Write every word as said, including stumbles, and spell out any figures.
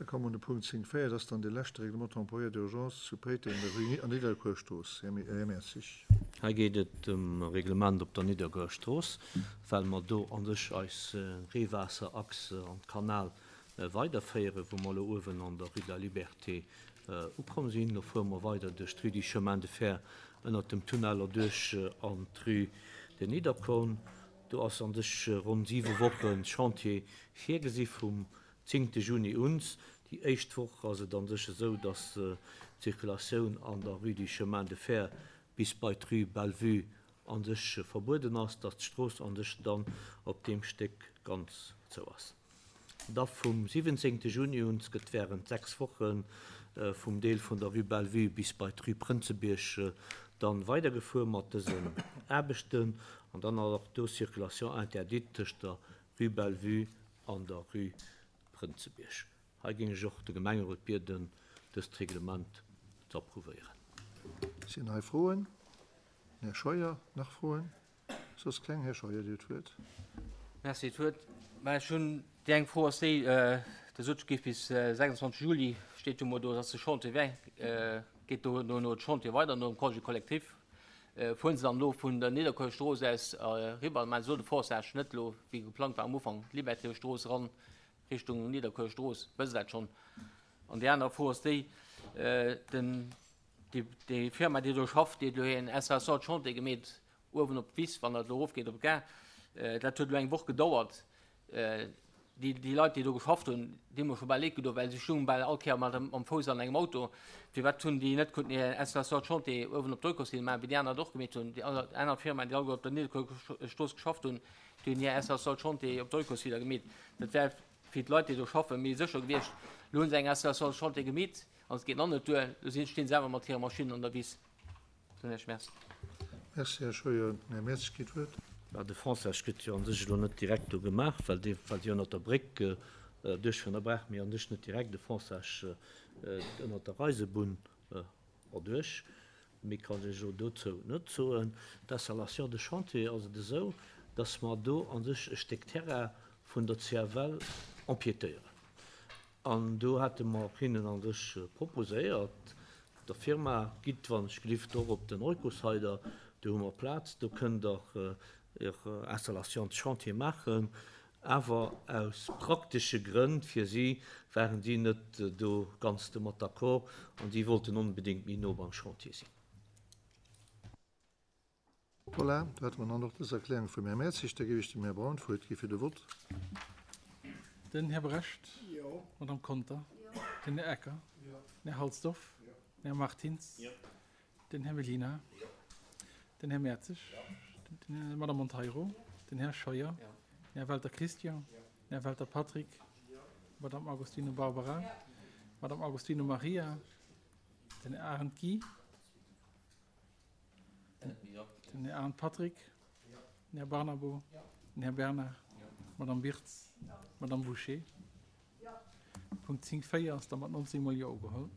Da komme mer un de Punkt zéng véier, dat ass dann dee leschte Règlement temporaire d'urgence zu Péiteng an der Rue an Nidderkuerstrooss. Här Mertzig. Hei geet et ëm e Reglement op der Nidderkuerstrooss, well mer do an sech eis Reewaasserachs an d'Kanal weiderféieren, wou mer elo uewen an der Rue de la Liberté ukomm sinn. Lo fuere mer weider duerch d'Rue du Chemin de Fer ënnert dem Tunnel erduerch an d'Rue de Niederkorn. Do ass an sech ronn siwe Woche Chantier virgesi vum zéngte Juni uns. Déi éischt Woch ass et an sech esou, dass d'Zirkulatioun an der Rue du Chemin de Fer bis bei d'Rue Bellevue an sech verbueden ass, dass d'Strooss an sech dann op deem Stéck ganz zou ass. Da vum siwwenzéngte Juni uns gëtt während sechs Woche vum Deel vun der Rue Bellevue bis bei d'Rue Prënzebierg dann weidergefuer mat dësen Aarbechten an dann ass och do Circulation interdite tëscht der Rue Bellevue an der Rue Prënzebierg. Hei géing ech och de Gemengerot bieden, dëst Reglement ze approuvéieren. Sinn hei Froen? Här Scheuer, nach Froen? Soss keng? Här Scheuer, Dir hutt d'Wuert. Merci, d'Wuert. Mä ech hunn déi eng Fro ass déi, Der sot, et géif bis sechsundzwanzeg Juli, steet jo mol do, ass de Chantier wä, geet do dono de Chantier weider nom Congé collectif. Fueren se dann elo vun der Nidderkuerstrooss aus eriwwer, mä se elo de Forçage net elo, wéi geplangt war am Ufank, d'Libertéstrooss eran Richtung Nidderkuerstrooss, wësst Der dat schonn? An déi aner Fro ass déi, den, déi, déi Firma, déi do schafft, déi huet elo hir en Installation de chantier gemeet uewen op d'Wiss, wann dat elo erofgeet op d'Gare. Dat huet elo eng Woch gedauert. Déi, déi Leit, déi do geschafft hunn, déi hu mer scho bal leed gedoen, well si stoungen bal all Kéier mat mam Fouss an engem Auto. Firwat hunn déi net konnten hir Installation de chantier uewen op d'Eucosill maachen, wéi déi aner et och gemeet hunn? Déi aner Firmaen, déi alleguer op der Nidderkuerstrooss geschafft hunn, déi hunn hir Installation de chantier op d'Eucosiller gemeet. Dat wär fir d'Leit, déi do schaffen, méi sécher gewiescht. Elo hu se eng Installation de chantier gemeet an et geet nach net duer. Elo sinn, stinn se awer mat hire Maschinnen an der Wiss. Soen ech Merci. Merci, Här Scheuer. Den Här Mertz kritt d'Wuert. Bah, de Fonçage gëtt jo a sech elo net direkt do gemaach, well dee, well se jo ënnert der Bréck duerchfueren. Da brauche mir a sech net direkt e Fonçage ënnert der Eisebunn erduerch. Méi kann ech elo dozou net soen. D'Installation de chantier ass et esou, dass mer do a sech e Stéck Terrain vun der C F L empiétéieren. An do hate mer hinnen a sech proposéiert, der Firma, gitt wann ech gelift och op den Eucosider, do hu mer Plaz, do kënnt der Är Installation de chantier maachen. Awer aus praktesche Grënn fir si waren si net do ganz domat d'accord an si wollten onbedéngt méi no beim Chantier sinn. Voilà, do hätte mer dann och dës Erklärung vum Här Mertzig. Da géif ech dem Här Braun d'Wuert gi fir de Vott. Den Här Brecht. Jo. D'Madame Conter. Jo. Den Här Ecker. Jo. Den Här Halsdorf. Jo. Den Här Martins. Jo. Den Här Mellina. Jo. Den Här Mertzig. Jo. D'Madame Monteiro. Jo. Den Här Scheuer. Jo. Den Här Welter Christian. Jo. Den Här Welter Patrick. Jo. D'Madame Agostino Barbara. Jo. D'Madame Agostino Maria. Den Här Arendt Guy. Den Här Arendt Patrick. Jo. Den Här Barnabo. Jo. Den Här Bernard. Jo. D'Madame Wirtz. Jo. D'Madame Bouché. Jo. Punkt zéng véier ass da mat nonzéng mol Jo ugeholl.